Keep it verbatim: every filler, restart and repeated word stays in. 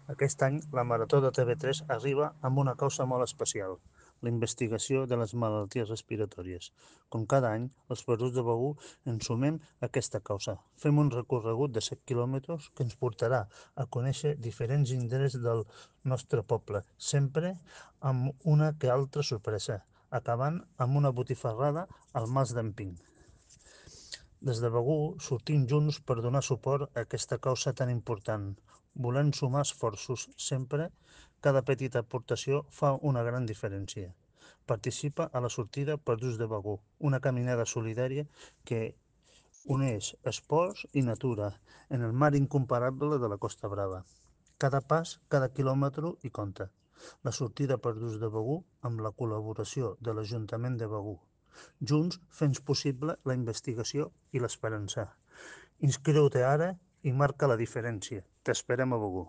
Aquest any, la Marató de T V tres arriba amb una causa molt especial, la investigació de les malalties respiratòries. Com cada any, els Perús de Begur ens sumem a aquesta causa. Fem un recorregut de set quilòmetres que ens portarà a conèixer diferents indrets del nostre poble, sempre amb una que altra sorpresa, acabant amb una botifarrada al Mas d'en Pink. Des de Begur sortim junts per donar suport a aquesta causa tan important. Volem sumar esforços sempre, cada petita aportació fa una gran diferència. Participa a la sortida Perduts de Begur, una caminada solidària que uneix esports i natura en el mar incomparable de la Costa Brava. Cada pas, cada quilòmetre hi compta. La sortida Perduts de Begur amb la col·laboració de l'Ajuntament de Begur. Junts fem possible la investigació i l'esperança. Inscriu-te ara i marca la diferència. T'esperem a Begur.